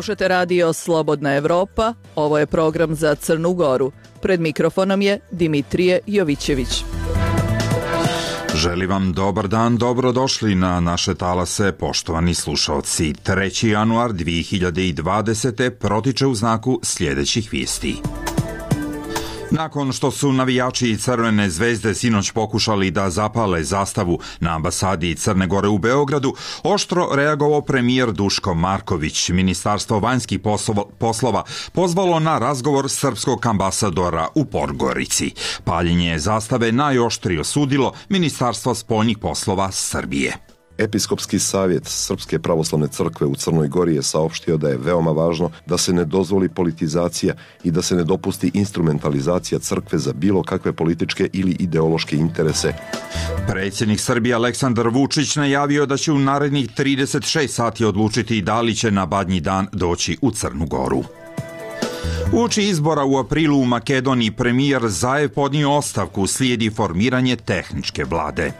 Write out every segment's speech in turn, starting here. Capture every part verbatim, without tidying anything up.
Slušate radio Slobodna Evropa, ovo je program za Crnu Goru. Pred mikrofonom je Dimitrije Jovićević. Želim vam dobar dan, dobrodošli na naše talase, poštovani slušalci. treći januar dve hiljade dvadesete. protiče u znaku sljedećih vijesti. Nakon što su navijači Crvene zvezde sinoć pokušali da zapale zastavu na ambasadi Crne Gore u Beogradu, oštro reagovao premijer Duško Marković. Ministarstvo vanjskih poslova pozvalo na razgovor srpskog ambasadora u Podgorici. Paljenje zastave najoštrije osudilo Ministarstvo spoljnih poslova Srbije. Episkopski savjet Srpske pravoslavne crkve u Crnoj Gori je saopštio da je veoma važno da se ne dozvoli politizacija i da se ne dopusti instrumentalizacija crkve za bilo kakve političke ili ideološke interese. Predsjednik Srbije Aleksandar Vučić najavio da će u narednih trideset šest sati odlučiti da li će na Badnji dan doći u Crnu Goru. Uoči izbora u aprilu u Makedoniji premijer Zaev podnio ostavku, slijedi formiranje tehničke vlade.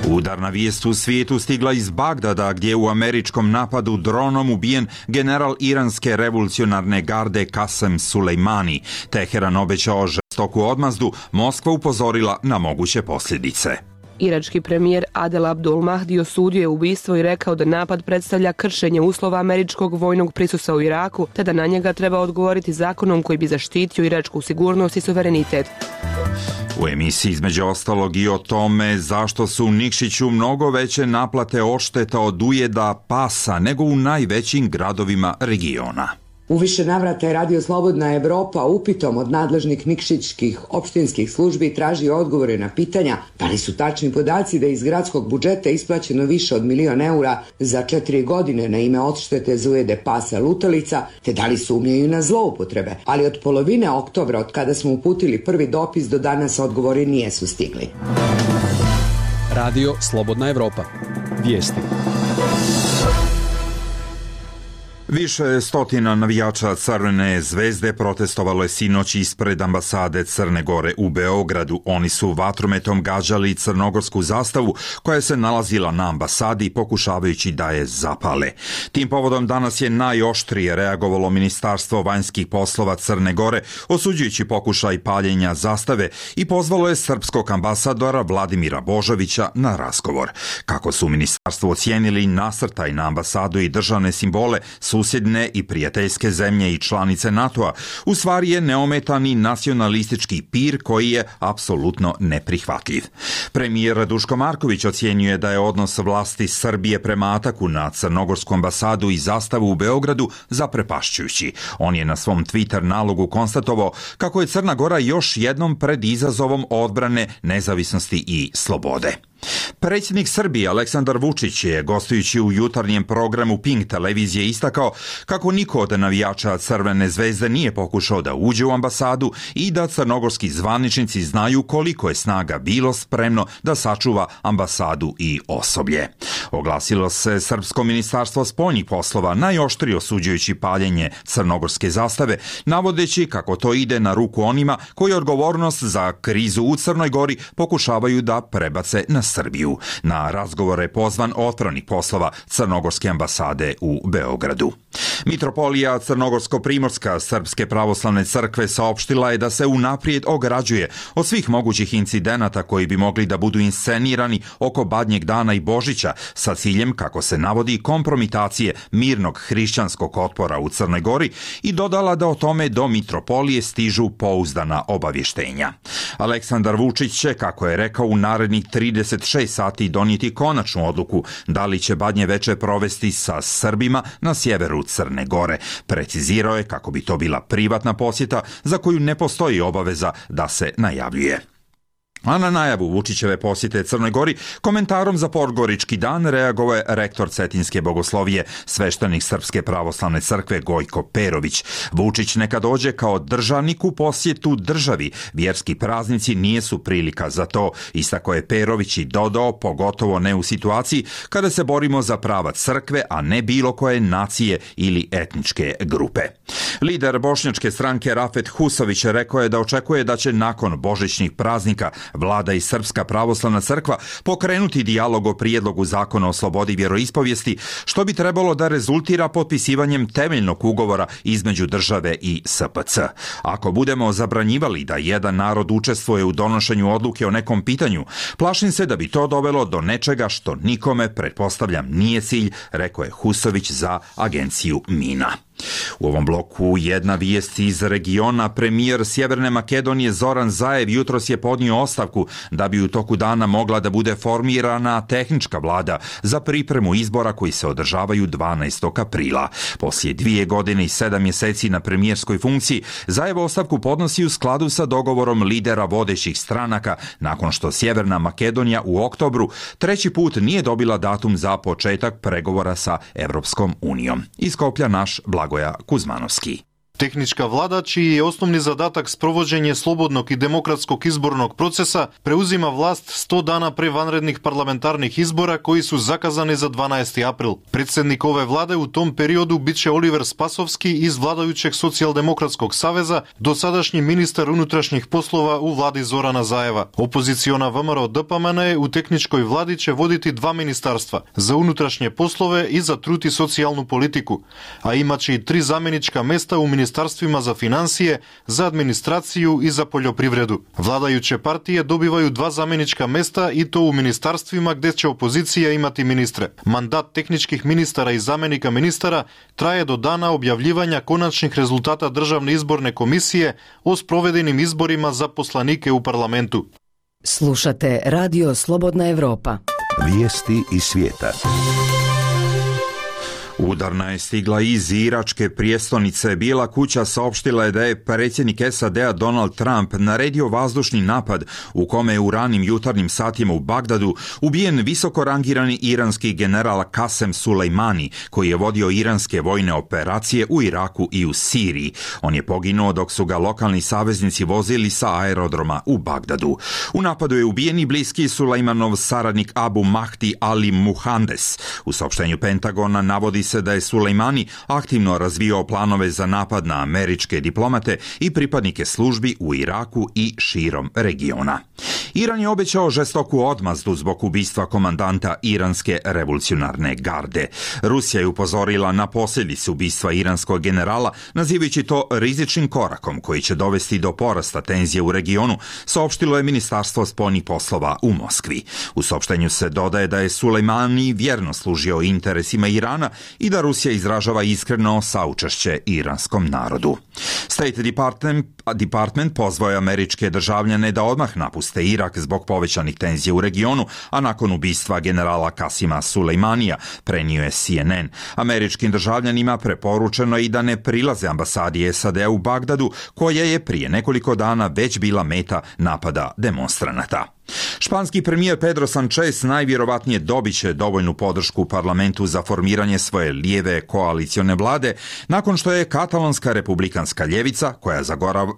Udarna vijest u svijetu stigla iz Bagdada, gdje je u američkom napadu dronom ubijen general iranske revolucionarne garde Kasem Sulejmani. Teheran obećao žestoku odmazdu, Moskva upozorila na moguće posljedice. Irački premijer Adel Abdul Mahdi osudio je ubistvo i rekao da napad predstavlja kršenje uslova američkog vojnog prisustva u Iraku, te da na njega treba odgovoriti zakonom koji bi zaštitio iračku sigurnost i suverenitet. U emisiji između ostalog i o tome zašto su u Nikšiću mnogo veće naplate odšteta od ujeda pasa nego u najvećim gradovima regiona. U više navrata je Radio Slobodna Evropa upitom od nadležnih nikšićkih opštinskih službi traži odgovore na pitanja da li su tačni podaci da iz gradskog budžeta isplaćeno više od milion eura za četiri godine na ime odštete za ujede pasa lutalica, te da li sumnjaju na zloupotrebe. Ali od polovine oktobra, od kada smo uputili prvi dopis, do danas odgovori nijesu stigli. Radio Slobodna Evropa. Vijesti. Više stotina navijača Crvene zvezde protestovalo je sinoć ispred ambasade Crne Gore u Beogradu. Oni su vatrometom gađali crnogorsku zastavu koja se nalazila na ambasadi, pokušavajući da je zapale. Tim povodom danas je najoštrije reagovalo Ministarstvo vanjskih poslova Crne Gore, osuđujući pokušaj paljenja zastave, i pozvalo je srpskog ambasadora Vladimira Božovića na razgovor. Kako su ministarstvo ocijenili nasrtaj na ambasadu i državne simbole susjedne i prijateljske zemlje i članice NATO-a, u stvari je neometani nacionalistički pir koji je apsolutno neprihvatljiv. Premijer Duško Marković ocjenjuje da je odnos vlasti Srbije prema ataku na crnogorsku ambasadu i zastavu u Beogradu zaprepašćujući. On je na svom Twitter nalogu konstatovao kako je Crna Gora još jednom pred izazovom odbrane nezavisnosti i slobode. Predsjednik Srbije Aleksandar Vučić je, gostujući u jutarnjem programu Pink televizije, istakao kako niko od navijača Crvene zvezde nije pokušao da uđe u ambasadu i da crnogorski zvaničnici znaju koliko je snaga bilo spremno da sačuva ambasadu i osoblje. Oglasilo se Srpsko ministarstvo spoljnih poslova, najoštrije osuđujući paljenje crnogorske zastave, navodeći kako to ide na ruku onima koji odgovornost za krizu u Crnoj Gori pokušavaju da prebace na Srbiju. Na razgovore je pozvan otpravnik poslova Crnogorske ambasade u Beogradu. Mitropolija Crnogorsko-Primorska Srpske pravoslavne crkve saopštila je da se unaprijed ograđuje od svih mogućih incidenata koji bi mogli da budu inscenirani oko Badnjeg dana i Božića sa ciljem, kako se navodi, kompromitacije mirnog hrišćanskog otpora u Crnoj Gori, i dodala da o tome do mitropolije stižu pouzdana obavještenja. Aleksandar Vučić će, kako je rekao, u narednih trideset šest sati donijeti konačnu odluku da li će Badnje veče provesti sa Srbima na sjeveru Crne Gore. Precizirao je kako bi to bila privatna posjeta za koju ne postoji obaveza da se najavljuje. A na najavu Vučićeve posjete Crnoj Gori komentarom za Podgorički dan reagovao je rektor Cetinske bogoslovije, sveštenik Srpske pravoslavne crkve Gojko Perović. Vučić neka dođe kao državnik u posjetu državi. Vjerski praznici nijesu prilika za to, istakao je Perović i dodao, pogotovo ne u situaciji kada se borimo za prava crkve, a ne bilo koje nacije ili etničke grupe. Lider bošnjačke stranke Rafet Husović rekao je da očekuje da će nakon božićnih praznika vlada i Srpska pravoslavna crkva pokrenuti dijalog o prijedlogu zakona o slobodi vjeroispovijesti, što bi trebalo da rezultira potpisivanjem temeljnog ugovora između države i S P C. Ako budemo zabranjivali da jedan narod učestvuje u donošenju odluke o nekom pitanju, plašim se da bi to dovelo do nečega što nikome, pretpostavljam, nije cilj, rekao je Husović za agenciju Mina. U ovom bloku jedna vijest iz regiona. Premijer Sjeverne Makedonije Zoran Zaev jutros je podnio ostavku da bi u toku dana mogla da bude formirana tehnička vlada za pripremu izbora koji se održavaju dvanaestog aprila. Poslije dvije godine i sedam mjeseci na premijerskoj funkciji, Zaev ostavku podnosi u skladu sa dogovorom lidera vodećih stranaka nakon što Sjeverna Makedonija u oktobru treći put nije dobila datum za početak pregovora sa Evropskom unijom. Iz Skoplja naš Blagoja Kuzmanovski. Tehnička vlada, čiji je osnovni zadatak sprovođenje slobodnog i demokratskog izbornog procesa, preuzima vlast sto dana pre vanrednih parlamentarnih izbora koji su zakazani za dvanaesti april. Predsjednik ove vlade u tom periodu biće Oliver Spasovski iz vladajućeg Socijaldemokratskog saveza, dosadašnji ministar unutrašnjih poslova u vladi Zorana Zaeva. Opoziciona V M R O D P M N u tehničkoj vladi će voditi dva ministarstva, za unutrašnje poslove i za trud i socijalnu politiku, a imaće i tri zamjenička mesta u ministarstvu ministarstvima za financije, za administraciju i za poljoprivredu. Vladajuće partije dobivaju dva zamjenička mesta i to u ministarstvima gdje će opozicija imati ministre. Mandat tehničkih ministara i zamjenika ministara traje do dana objavljivanja konačnih rezultata Državne izborne komisije o sprovedenim izborima za poslanike u parlamentu. Slušate Radio Slobodna Evropa. Vijesti iz svijeta. Udarna je stigla iz iračke prijestolnice. Bijela kuća saopštila je da je predsjednik S A D-a Donald Trump naredio vazdušni napad u kome je u ranim jutarnjim satima u Bagdadu ubijen visoko rangirani iranski general Kasem Sulejmani, koji je vodio iranske vojne operacije u Iraku i u Siriji. On je poginuo dok su ga lokalni saveznici vozili sa aerodroma u Bagdadu. U napadu je ubijen i bliski Sulejmanov saradnik Abu Mahdi Ali Muhandes. U saopštenju Pentagona navodi se da je Sulejmani aktivno razvijao planove za napad na američke diplomate i pripadnike službi u Iraku i širom regiona. Iran je obećao žestoku odmazdu zbog ubistva komandanta iranske revolucionarne garde. Rusija je upozorila na posljedice ubistva iranskog generala, nazivajući to rizičnim korakom koji će dovesti do porasta tenzije u regionu, saopštilo je Ministarstvo spoljnih poslova u Moskvi. U saopštenju se dodaje da je Sulejmani vjerno služio interesima Irana i da Rusija izražava iskreno saučešće iranskom narodu. State Department, Department pozvao je američke državljane da odmah napuste Irak zbog povećanih tenzija u regionu, a nakon ubistva generala Kasima Sulejmanija, prenio je C N N. Američkim državljanima preporučeno je i da ne prilaze ambasadi S A D-a u Bagdadu, koja je prije nekoliko dana već bila meta napada demonstranata. Španski premijer Pedro Sanchez najvjerovatnije dobit će dovoljnu podršku u parlamentu za formiranje svoje lijeve koalicione vlade nakon što je katalonska republikanska ljevica, koja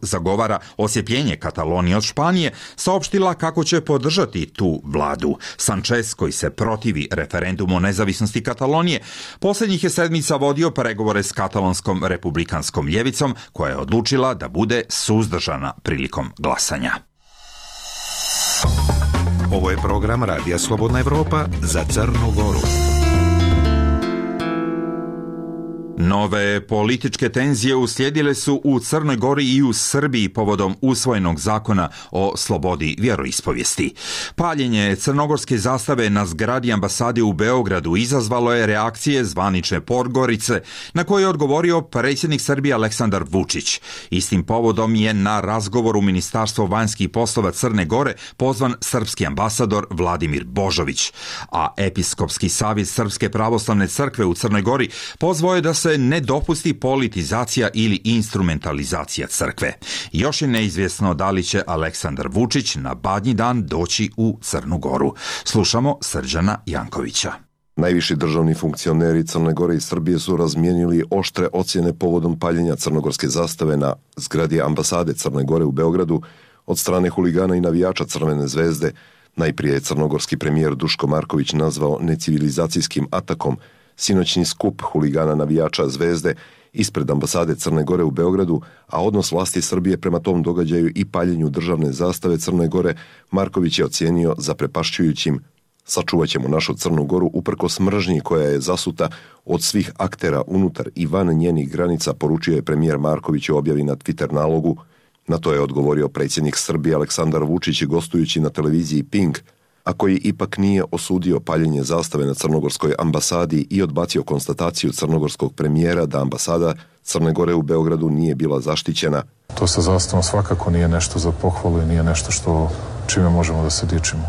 zagovara osjepljenje Katalonije od Španije, saopštila kako će podržati tu vladu. Sanchez, koji se protivi referendumu o nezavisnosti Katalonije, posljednjih je sedmica vodio pregovore s katalonskom republikanskom ljevicom, koja je odlučila da bude suzdržana prilikom glasanja. Ovo je program Radija Slobodna Evropa za Crnu Goru. Nove političke tenzije uslijedile su u Crnoj Gori i u Srbiji povodom usvojenog zakona o slobodi vjeroispovijesti. Paljenje crnogorske zastave na zgradi ambasade u Beogradu izazvalo je reakcije zvanične Podgorice, na koje je odgovorio predsjednik Srbije Aleksandar Vučić. Istim povodom je na razgovor u Ministarstvo vanjskih poslova Crne Gore pozvan srpski ambasador Vladimir Božović, a Episkopski savjet Srpske pravoslavne crkve u Crnoj Gori pozvao je da se ne dopusti politizacija ili instrumentalizacija crkve. Još je neizvjesno da li će Aleksandar Vučić na Badnji dan doći u Crnu Goru. Slušamo Srđana Jankovića. Najviši državni funkcioneri Crne Gore i Srbije su razmijenili oštre ocjene povodom paljenja crnogorske zastave na zgradi ambasade Crne Gore u Beogradu od strane huligana i navijača Crvene zvezde. Najprije je crnogorski premijer Duško Marković nazvao necivilizacijskim atakom sinoćni skup huligana navijača Zvezde ispred ambasade Crne Gore u Beogradu, a odnos vlasti Srbije prema tom događaju i paljenju državne zastave Crne Gore, Marković je ocijenio zaprepašćujućim. Sačuvat ćemo našu Crnu Goru uprkos mržnji koja je zasuta od svih aktera unutar i van njenih granica, poručio je premijer Marković u objavi na Twitter nalogu. Na to je odgovorio predsjednik Srbije Aleksandar Vučić gostujući na televiziji Pink, a koji ipak nije osudio paljenje zastave na crnogorskoj ambasadi i odbacio konstataciju crnogorskog premijera da ambasada Crne Gore u Beogradu nije bila zaštićena. To sa zastavom svakako nije nešto za pohvalu i nije nešto što čime možemo da se dičimo.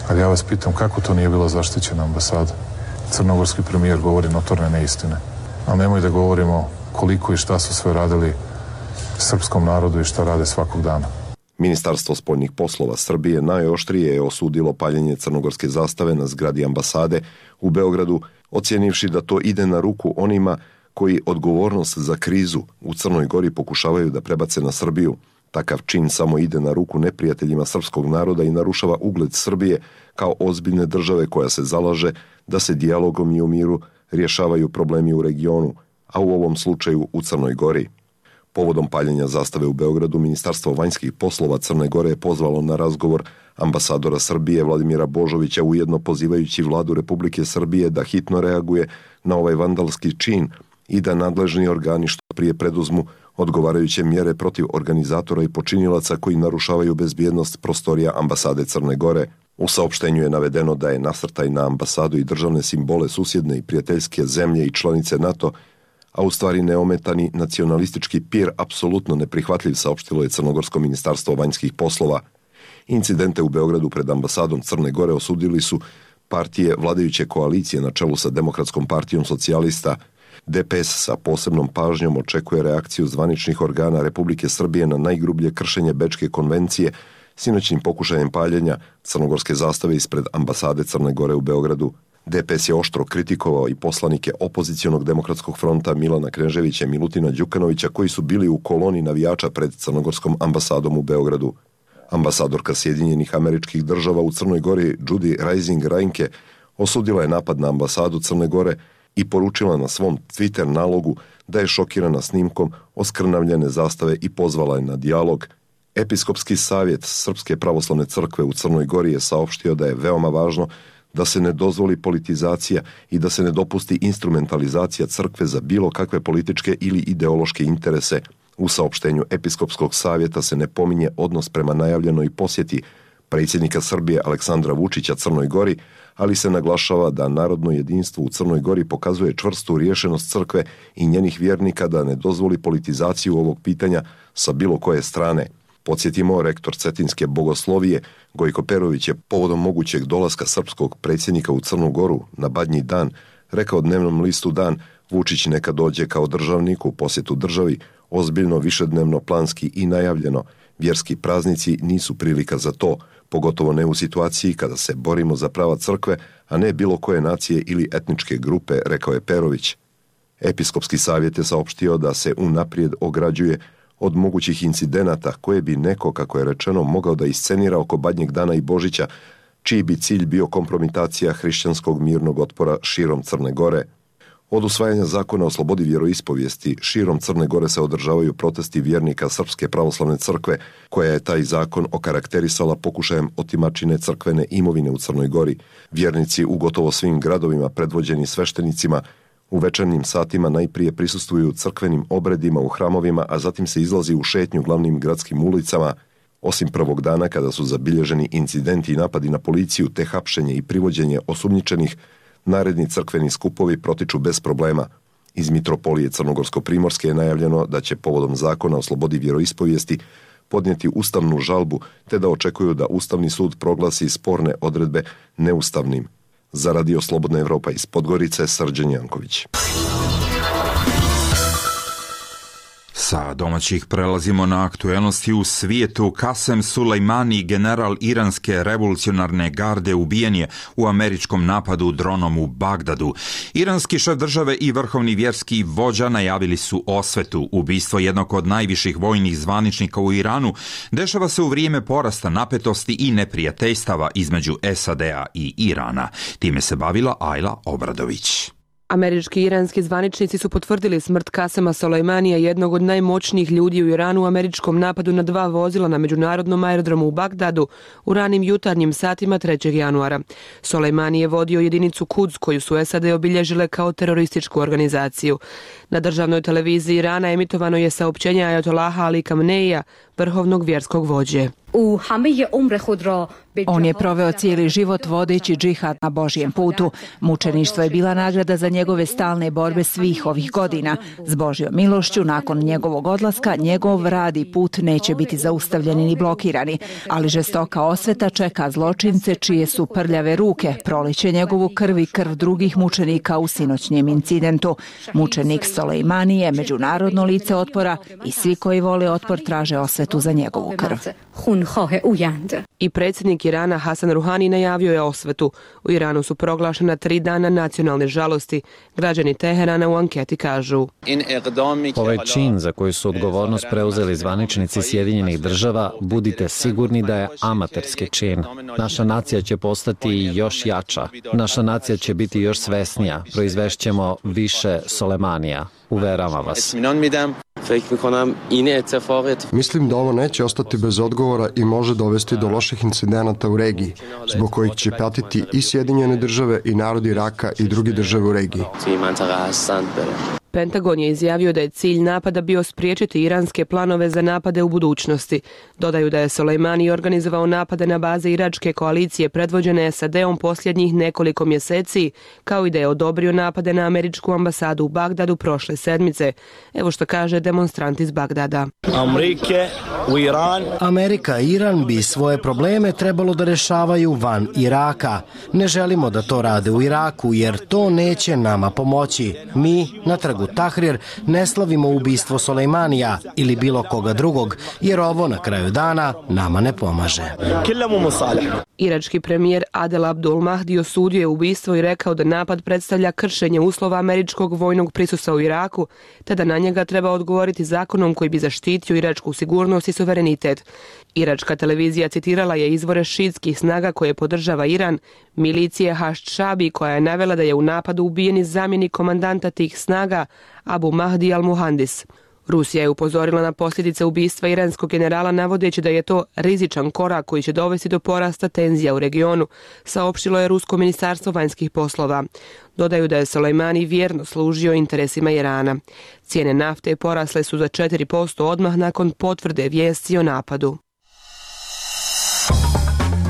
Ali ja vas pitam kako to nije bila zaštićena ambasada? Crnogorski premijer govori notorne neistine. Ali nemoj da govorimo koliko i šta su sve radili srpskom narodu i šta rade svakog dana. Ministarstvo spoljnih poslova Srbije najoštrije je osudilo paljenje crnogorske zastave na zgradi ambasade u Beogradu, ocjenivši da to ide na ruku onima koji odgovornost za krizu u Crnoj Gori pokušavaju da prebace na Srbiju. Takav čin samo ide na ruku neprijateljima srpskog naroda i narušava ugled Srbije kao ozbiljne države koja se zalaže da se dijalogom i u miru rješavaju problemi u regionu, a u ovom slučaju u Crnoj Gori. Povodom paljenja zastave u Beogradu, Ministarstvo vanjskih poslova Crne Gore je pozvalo na razgovor ambasadora Srbije Vladimira Božovića, ujedno pozivajući vladu Republike Srbije da hitno reaguje na ovaj vandalski čin i da nadležni organi što prije preduzmu odgovarajuće mjere protiv organizatora i počinilaca koji narušavaju bezbjednost prostorija ambasade Crne Gore. U saopštenju je navedeno da je nasrtaj na ambasadu i državne simbole susjedne i prijateljske zemlje i članice NATO, a u stvari neometani nacionalistički pir apsolutno neprihvatljiv, saopštilo je Crnogorsko ministarstvo vanjskih poslova. Incidente u Beogradu pred ambasadom Crne Gore osudili su partije vladajuće koalicije na čelu sa Demokratskom partijom socijalista. D P S sa posebnom pažnjom očekuje reakciju zvaničnih organa Republike Srbije na najgrublje kršenje Bečke konvencije sinoćnim pokušajem paljenja crnogorske zastave ispred ambasade Crne Gore u Beogradu. D P S je oštro kritikovao i poslanike opozicionog demokratskog fronta Milana Kneževića i Milutina Đukanovića koji su bili u koloni navijača pred crnogorskom ambasadom u Beogradu. Ambasadorka Sjedinjenih Američkih Država u Crnoj Gori Judy Rising Reinke osudila je napad na ambasadu Crne Gore i poručila na svom Twitter nalogu da je šokirana snimkom oskrnavljene zastave i pozvala je na dijalog. Episkopski savjet Srpske pravoslavne crkve u Crnoj Gori je saopštio da je veoma važno da se ne dozvoli politizacija i da se ne dopusti instrumentalizacija crkve za bilo kakve političke ili ideološke interese. U saopštenju Episkopskog savjeta se ne pominje odnos prema najavljenoj posjeti predsjednika Srbije Aleksandra Vučića Crnoj Gori, ali se naglašava da narodno jedinstvo u Crnoj Gori pokazuje čvrstu riješenost crkve i njenih vjernika da ne dozvoli politizaciju ovog pitanja sa bilo koje strane. Podsjetimo, rektor Cetinske bogoslovije Gojko Perović je povodom mogućeg dolaska srpskog predsjednika u Crnu Goru na Badnji dan rekao dnevnom listu Dan: Vučić neka dođe kao državnik u posjetu državi, ozbiljno, višednevno, planski i najavljeno. Vjerski praznici nisu prilika za to, pogotovo ne u situaciji kada se borimo za prava crkve, a ne bilo koje nacije ili etničke grupe, rekao je Perović. Episkopski savjet je saopštio da se unaprijed ograđuje od mogućih incidenata koje bi neko, kako je rečeno, mogao da iscenira oko Badnjeg dana i Božića, čiji bi cilj bio kompromitacija hrišćanskog mirnog otpora širom Crne Gore. Od usvajanja zakona o slobodi vjeroispovijesti širom Crne Gore se održavaju protesti vjernika Srpske pravoslavne crkve, koja je taj zakon okarakterisala pokušajem otimačine crkvene imovine u Crnoj Gori. Vjernici u gotovo svim gradovima predvođeni sveštenicima u večernjim satima najprije prisustvuju crkvenim obredima u hramovima, a zatim se izlazi u šetnju glavnim gradskim ulicama. Osim prvog dana kada su zabilježeni incidenti i napadi na policiju te hapšenje i privođenje osumnjičenih, naredni crkveni skupovi protiču bez problema. Iz Mitropolije Crnogorsko-Primorske je najavljeno da će povodom zakona o slobodi vjeroispovijesti podnijeti ustavnu žalbu te da očekuju da Ustavni sud proglasi sporne odredbe neustavnim. Za Radio Slobodna Evropa iz Podgorice, Srđan Janković. Sa domaćih prelazimo na aktuelnosti u svijetu. Kasem Sulejmani, general iranske revolucionarne garde, ubijen je u američkom napadu dronom u Bagdadu. Iranski šef države i vrhovni vjerski vođa najavili su osvetu. Ubistvo jednog od najviših vojnih zvaničnika u Iranu dešava se u vrijeme porasta napetosti i neprijateljstava između S A D-a i Irana. Time se bavila Ajla Obradović. Američki i iranski zvaničnici su potvrdili smrt Kasema Solejmanija, jednog od najmoćnijih ljudi u Iranu, u američkom napadu na dva vozila na međunarodnom aerodromu u Bagdadu u ranim jutarnjim satima trećeg januara. Solejmani je vodio jedinicu Quds, koju su S A D obilježile kao terorističku organizaciju. Na državnoj televiziji Irana emitovano je saopćenje ajatolaha Ali Khameneija, vrhovnog vjerskog vođe. On je proveo cijeli život vodeći džihad na Božjem putu. Mučeništvo je bila nagrada za njegove stalne borbe svih ovih godina. S Božjom milošću, nakon njegovog odlaska, njegov rad i put neće biti zaustavljeni ni blokirani, ali žestoka osveta čeka zločince čije su prljave ruke proliće njegovu krv i krv drugih mučenika u sinoćnjem incidentu. Mučenik Solejmani je međunarodno lice otpora i svi koji vole otpor traže osvetu za njegovu krv. I predsjednik Irana Hasan Ruhani najavio je osvetu. U Iranu su proglašena tri dana nacionalne žalosti. Građani Teherana u anketi kažu: Ovaj čin za koji su odgovornost preuzeli zvaničnici Sjedinjenih država, budite sigurni da je amaterski čin. Naša nacija će postati još jača. Naša nacija će biti još svesnija. Proizvešćemo više Solemanija. Uveravam vas. Mislim da ovo neće ostati bez odgovora i može dovesti do loših incidenata u regiji, zbog kojih će patiti i Sjedinjene države i narod Iraka i drugi države u regiji. Pentagon je izjavio da je cilj napada bio spriječiti iranske planove za napade u budućnosti. Dodaju da je Solejmani organizovao napade na baze iračke koalicije predvođene S A D-om posljednjih nekoliko mjeseci, kao i da je odobrio napade na američku ambasadu u Bagdadu prošle sedmice. Evo što kaže demonstrant iz Bagdada. Amerika i Iran bi svoje probleme trebalo da rešavaju van Iraka. Ne želimo da to rade u Iraku jer to neće nama pomoći. Mi na trgu Tahrir ne slavimo ubistvo Solejmanija ili bilo koga drugog, jer ovo na kraju dana nama ne pomaže. Irački premijer Adel Abdul Mahdi osudio je ubistvo i rekao da napad predstavlja kršenje uslova američkog vojnog prisustva u Iraku, te da na njega treba odgovoriti zakonom koji bi zaštitio iračku sigurnost i suverenitet. Iračka televizija citirala je izvore šiitskih snaga koje podržava Iran, milicije Hašd Šabi, koja je navela da je u napadu ubijen zamjenik komandanta tih snaga Abu Mahdi al-Muhandis. Rusija je upozorila na posljedice ubistva iranskog generala navodeći da je to rizičan korak koji će dovesti do porasta tenzija u regionu, saopštilo je Rusko ministarstvo vanjskih poslova. Dodaju da je Solejmani vjerno služio interesima Irana. Cijene nafte porasle su za četiri posto odmah nakon potvrde vijesti o napadu.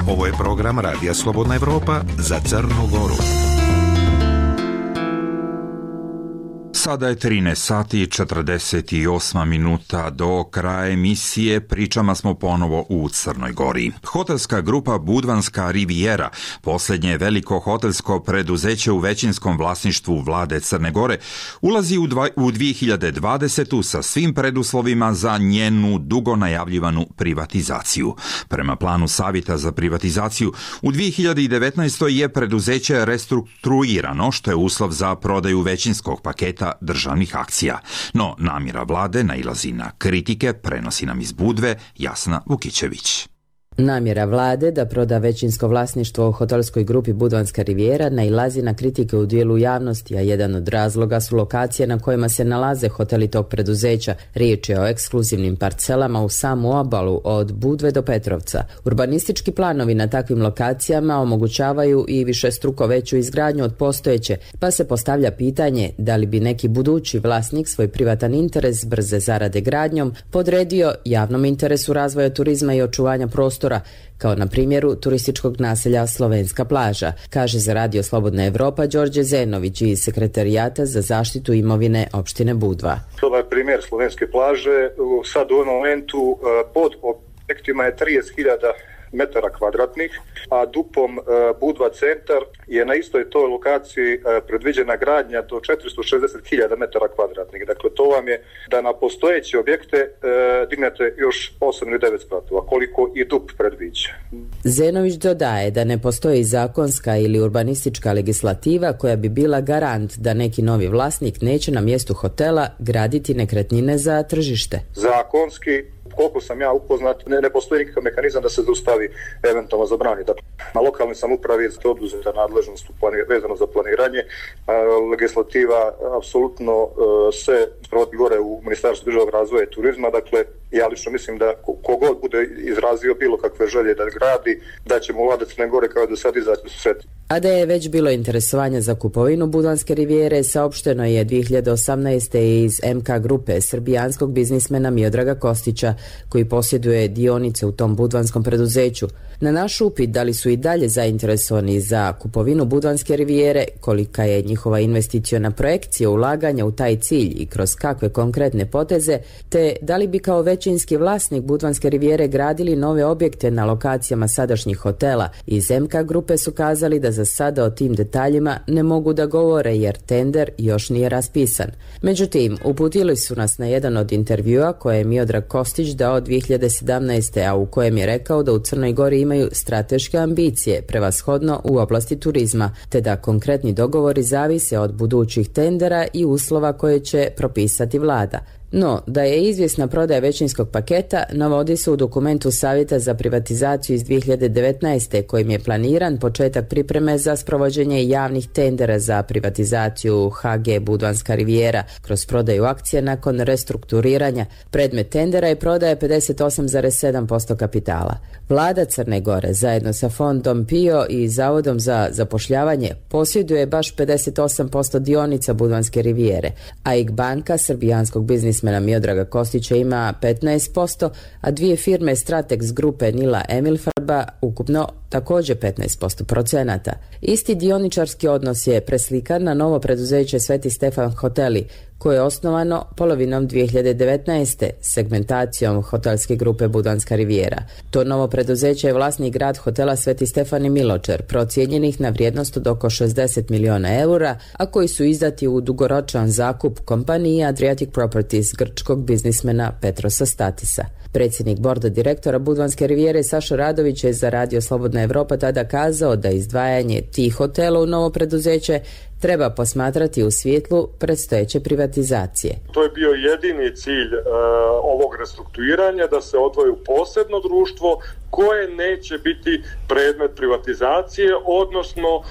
Ovo je program Radija Slobodna Evropa za Crnu Goru. Sada je trinaest sati i četrdeset osam minuta do kraja emisije. Pričama smo ponovo u Crnoj Gori. Hotelska grupa Budvanska Rivijera, posljednje veliko hotelsko preduzeće u većinskom vlasništvu vlade Crne Gore, ulazi u, dva, u dvije hiljade dvadesetu sa svim preduslovima za njenu dugo najavljivanu privatizaciju. Prema planu Savjeta za privatizaciju, u dvije hiljade devetnaestoj je preduzeće restrukturirano, što je uslov za prodaju većinskog paketa državnih akcija. No, namjera vlade nailazi na kritike, prenosi nam iz Budve Jasna Vukićević. Namjera vlade da proda većinsko vlasništvo u hotelskoj grupi Budvanska Rivijera nailazi na kritike u dijelu javnosti, a jedan od razloga su lokacije na kojima se nalaze hoteli tog preduzeća. Riječ je o ekskluzivnim parcelama u samu obalu od Budve do Petrovca. Urbanistički planovi na takvim lokacijama omogućavaju i višestruko veću izgradnju od postojeće, pa se postavlja pitanje da li bi neki budući vlasnik svoj privatan interes brze zarade gradnjom podredio javnom interesu razvoja turizma i očuvanja prostora, kao na primjeru turističkog naselja Slovenska plaža, kaže za Radio Slobodna Evropa Đorđe Zenović iz Sekretarijata za zaštitu imovine opštine Budva. To je primjer Slovenske plaže. Sad u ovom momentu pod objektima je trideset hiljada metara kvadratnih, a dupom e, Budva centar je na istoj toj lokaciji e, predviđena gradnja do četiristo šezdeset hiljada metara kvadratnih. Dakle, to vam je da na postojeće objekte e, dignete još osam ili devet spratova, koliko i dup predviđa. Zenović dodaje da ne postoji zakonska ili urbanistička legislativa koja bi bila garant da neki novi vlasnik neće na mjestu hotela graditi nekretnine za tržište. Zakonski, koliko sam ja upoznat, ne, ne postoji nikakav mehanizam da se zaustavi državi eventualno zabrani. Dakle, na lokalnoj samoupravi je oduzeta nadležnost vezano za planiranje. Legislativa apsolutno se sprovodi gore u Ministarstvu državnog razvoja i turizma. Dakle, ja lično mislim da kogod bude izrazio bilo kakve želje da gradi, da ćemo vlada Crne Gore kao do sad izaći u susret. A da je već bilo interesovanja za kupovinu Budvanske rivijere, saopšteno je dvije hiljade osamnaeste. iz M K grupe srbijanskog biznismena Miodraga Kostića, koji posjeduje dionice u tom budvanskom preduzeću. Na naš upit da li su i dalje zainteresovani za kupovinu Budvanske rivijere, kolika je njihova investiciona projekcija ulaganja u taj cilj i kroz kakve konkretne poteze, te da li bi kao većinski vlasnik Budvanske rivijere gradili nove objekte na lokacijama sadašnjih hotela, iz M K grupe su kazali da za sada o tim detaljima ne mogu da govore jer tender još nije raspisan. Međutim, uputili su nas na jedan od intervjua koje je Miodrag Kostić dao dvije hiljade sedamnaeste. a u kojem je rekao da u Crnoj Gori imaju strateške ambicije, prevashodno u oblasti turizma, te da konkretni dogovori zavise od budućih tendera i uslova koje će propisati vlada. No, da je izvjesna prodaja većinskog paketa navodi se u dokumentu Savjeta za privatizaciju iz dvije hiljade devetnaeste. kojim je planiran početak pripreme za sprovođenje javnih tendera za privatizaciju H G Budvanska rivijera kroz prodaju akcija nakon restrukturiranja. Predmet tendera je prodaja pedeset osam zarez sedam posto kapitala. Vlada Crne Gore zajedno sa fondom P I O i Zavodom za zapošljavanje posjeduje baš pedeset osam posto dionica Budvanske rivijere, a I G banka srbijanskog biznismena Miodraga Kostića ima petnaest posto, a dvije firme Stratex grupe Nila Emilfarba ukupno također petnaest posto procenata. Isti dioničarski odnos je preslikan na novo preduzeće Sveti Stefan Hoteli, koje je osnovano polovinom dvije hiljade devetnaeste. segmentacijom hotelske grupe Budvanska rivijera. To novo preduzeće je vlasnik grad hotela Sveti Stefan i Miločer, procijenjenih na vrijednost od oko šezdeset miliona eura, a koji su izdati u dugoročan zakup kompaniji Adriatic Properties grčkog biznismena Petrosa Statisa. Predsjednik borda direktora Budvanske rivijere Saša Radović je za Radio Slobodna Evropa tada kazao da izdvajanje tih hotela u novo preduzeće treba posmatrati u svjetlu predstojeće privatizacije. To je bio jedini cilj e, ovog restrukturiranja, da se odvoji u posebno društvo koje neće biti predmet privatizacije, odnosno e,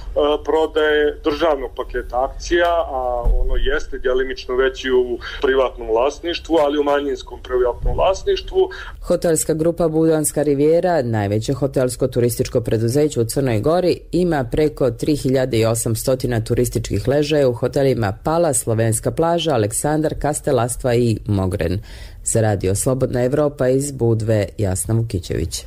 prodaje državnog paketa akcija, a ono jeste djelimično već i u privatnom vlasništvu, ali u manjinskom privatnom vlasništvu. Hotelska grupa Budvanska rivijera, najveće hotelsko-turističko preduzeće u Crnoj Gori, ima preko tri hiljade osamsto turističkih ležaja u hotelima Pala, Slovenska plaža, Aleksandar, Kastelastva i Mogren. Za Radio Slobodna Evropa iz Budve, Jasna Vukićević.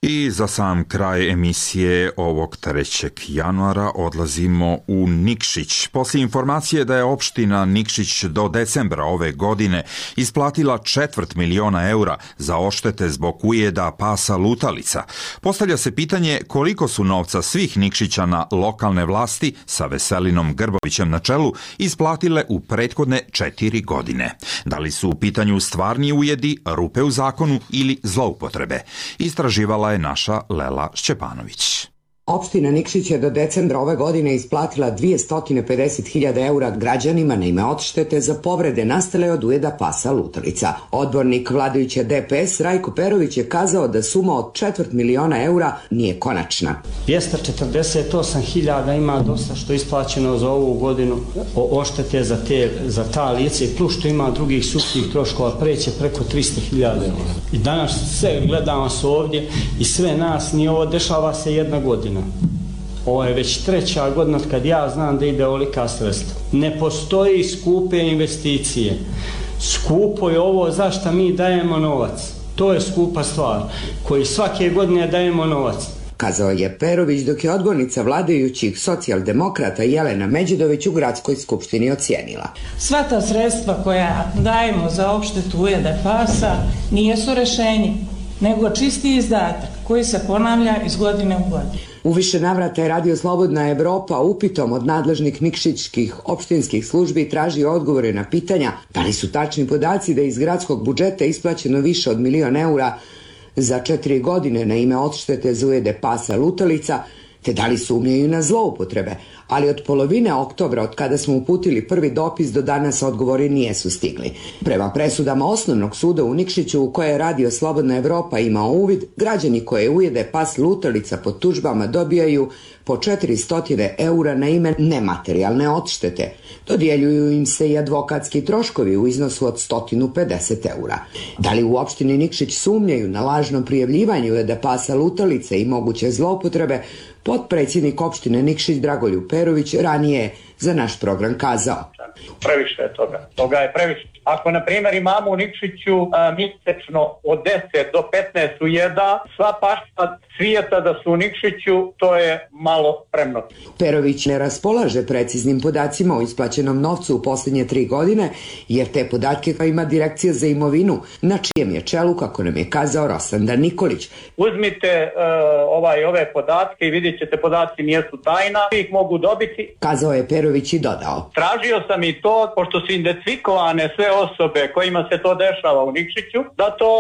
I za sam kraj emisije ovog trećeg januara odlazimo u Nikšić. Poslije informacije da je opština Nikšić do decembra ove godine isplatila četvrt miliona eura za oštete zbog ujeda pasa lutalica, postavlja se pitanje koliko su novca svih Nikšićana lokalne vlasti sa Veselinom Grbovićem na čelu isplatile u prethodne četiri godine. Da li su u pitanju stvarni ujedi, rupe u zakonu ili zloupotrebe? Istraživala je naša Lela Šćepanović. Opština Nikšić je do decembra ove godine isplatila dvjesto pedeset hiljada eura građanima na ime odštete za povrede nastale od ujeda pasa lutalica. Odbornik vladajuće D P S Rajko Perović je kazao da suma od četvrt miliona eura nije konačna. dvjesto četrdeset osam hiljada ima dosta što je isplaćeno za ovu godinu oštete za, te, za ta lice, plus što ima drugih sudskih troškova preće preko tristo hiljada eura. I danas sve gledamo se ovdje i sve nas, ni ovo dešava se jedna godina. Ovo je već treća godina kad ja znam da ide ovolika sredstva. Ne postoji skupe investicije. Skupo je ovo zašto mi dajemo novac. To je skupa stvar, koji svake godine dajemo novac. Kazao je Perović, dok je odbornica vladajućih socijaldemokrata Jelena Međidović u gradskoj skupštini ocijenila. Sva ta sredstva koja dajemo za odštetu ujeda pasa nisu rešenje, nego čisti izdatak koji se ponavlja iz godine u godinu. U više navrata je Radio Slobodna Evropa upitom od nadležnih nikšićkih opštinskih službi tražio odgovore na pitanja da li su tačni podaci da iz gradskog budžeta isplaćeno više od milion eura za četiri godine na ime odštete za ujede pasa lutalica, te da li sumnjaju na zloupotrebe, ali od polovine oktobra, od kada smo uputili prvi dopis, do danas odgovori nijesu stigli. Prema presudama Osnovnog suda u Nikšiću, u koje je Radio Slobodna Evropa imao uvid, građani koje ujede pas lutalica pod tužbama dobijaju po četiristo eura na ime nematerijalne odštete. Dodjeljuju im se i advokatski troškovi u iznosu od sto pedeset eura. Da li u opštini Nikšić sumnjaju na lažno prijavljivanje ujede pasa lutalice i moguće zloupotrebe, potpredsjednik opštine Nikšić Dragoljub Perović ranije je za naš program kazao: Previše je toga. Toga je previše. Ako, na primjer, imamo u Nikšiću a, mjesečno od deset do petnaest ujeda, sva pašta svijeta da su u Nikšiću, to je malo premno. Perović ne raspolaže preciznim podacima o isplaćenom novcu u posljednje tri godine, jer te podatke ima Direkcija za imovinu, na čijem je čelu, kako nam je kazao Rosandar Nikolić. Uzmite uh, ovaj, ove podatke i vidjet ćete, podaci nijesu tajna, ih mogu dobiti. Kazao je Perović i dodao: Tražio sam i to, pošto su identifikovane sve osobe kojima se to dešava u Nikšiću, da to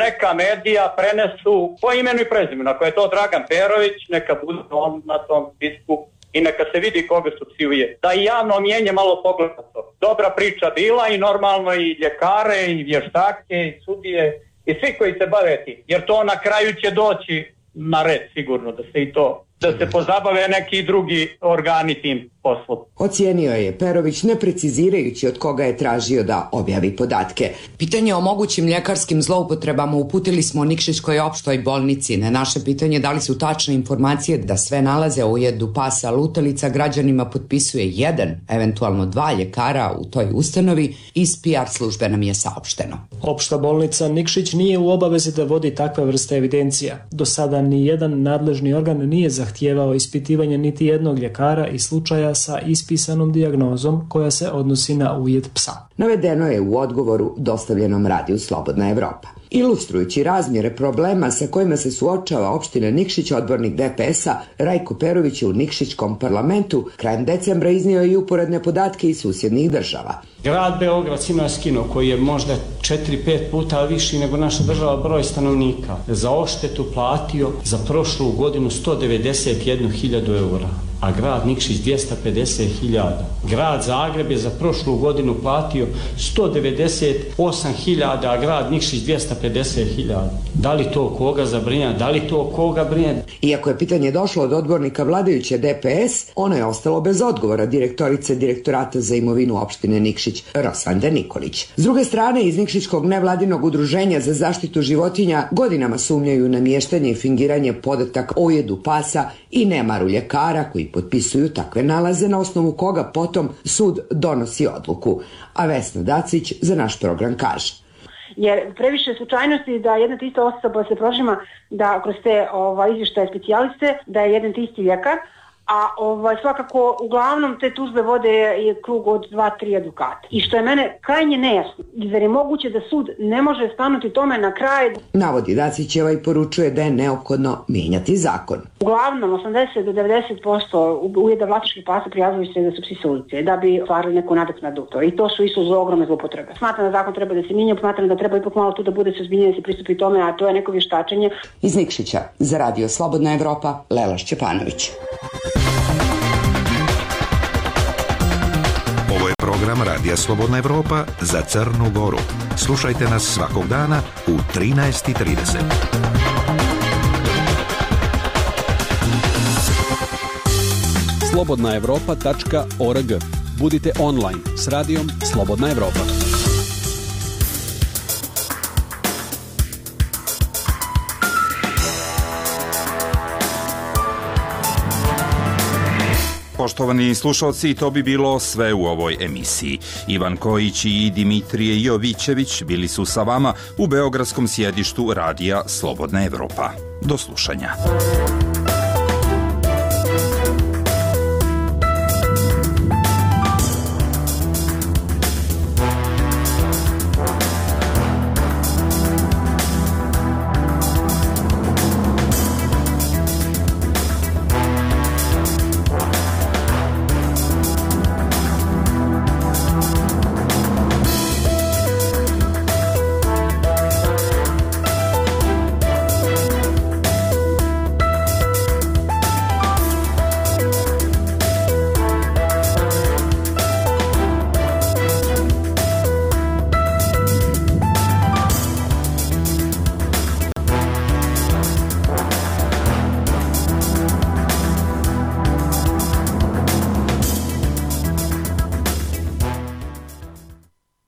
neka medija prenesu po imenu i prezimenu. Ako je to Dragan Perović, neka bude on na tom spisku i neka se vidi koga su psuje. Da i javno mjenje malo pogleda to. Dobra priča bila i normalno i ljekare i vještake i sudije i svi koji se bave tim. Jer to na kraju će doći na red sigurno da se i to, da se pozabave neki drugi organi tim poslom. Ocijenio je Perović, ne precizirajući od koga je tražio da objavi podatke. Pitanje o mogućim ljekarskim zloupotrebama uputili smo Nikšićkoj opštoj bolnici. Na naše pitanje da li su tačne informacije da sve nalaze u ujedu pasa lutalica građanima potpisuje jedan, eventualno dva ljekara u toj ustanovi, iz P R službe nam je saopšteno. Opšta bolnica Nikšić nije u obavezi da vodi takve vrste evidencija. Do sada ni jedan nadležni organ nije zahtijevao ispitivanje niti jednog ljekara i slučaja sa ispisanom dijagnozom koja se odnosi na ujed psa. Navedeno je u odgovoru dostavljenom Radiju Slobodna Evropa. Ilustrujući razmjere problema sa kojima se suočava opština Nikšić, odbornik D P S-a Rajko Perović u Nikšićkom parlamentu krajem decembra iznio i uporedne podatke iz susjednih država. Grad Beograd ima skino koji je možda četiri pet puta viši nego naša država broj stanovnika. Za odštetu platio za prošlu godinu sto devedeset jednu hiljadu eura, a grad Nikšić dvjesto pedeset hiljada. Grad Zagreb je za prošlu godinu platio sto devedeset osam hiljada, a grad Nikšić dvjesto pedeset hiljada. Da li to koga zabrinja? Da li to koga brine? Iako je pitanje došlo od odbornika vladajuće D P S, ono je ostalo bez odgovora direktorice Direktorata za imovinu opštine Nikšić Rosande Nikolić. S druge strane, iz Nikšićkog nevladinog udruženja za zaštitu životinja godinama sumnjaju na mještanje i fingiranje podataka o ujedu pasa i nemaru ljekara koji potpisuju takve nalaze, na osnovu koga potom sud donosi odluku. A Vesna Dacić za naš program kaže: Jer previše slučajnosti da jedna ista osoba se prožima da kroz te ovaj, izvještaje specijaliste da je jedan isti ljekar, a ovaj, svakako uglavnom te tužbe vode je krug od dva tri advokata. I što je mene krajnje nejasno, jer je moguće da sud ne može stanuti tome na kraj. Navodi Dacićeva i poručuje da je neophodno mijenjati zakon. Uglavnom osamdeset do devedeset posto ujeda vlasničkih pasa prijavljuju se da su psi sa ulice, da bi stvarili neku nadoknadu to. I to su isto za ogromne zloupotrebe. Smatram da zakon treba da se mijenja, smatram da treba ipak malo tu da bude suzbiljeno, da se pristupi tome, a to je neko vještačenje. Iz Nikšića za Radio Slobodna Evropa, Lela Šćepanović. Ovo je program Radija Slobodna Evropa za Crnu Goru. Slušajte nas svakog dana u trinaest i trideset. slobodna evropa tačka org. Budite online s radijom Slobodna Evropa. Poštovani slušalci, to bi bilo sve u ovoj emisiji. Ivan Kojić i Dimitrije Jovićević bili su sa vama u beogradskom sjedištu Radija Slobodna Evropa. Do slušanja.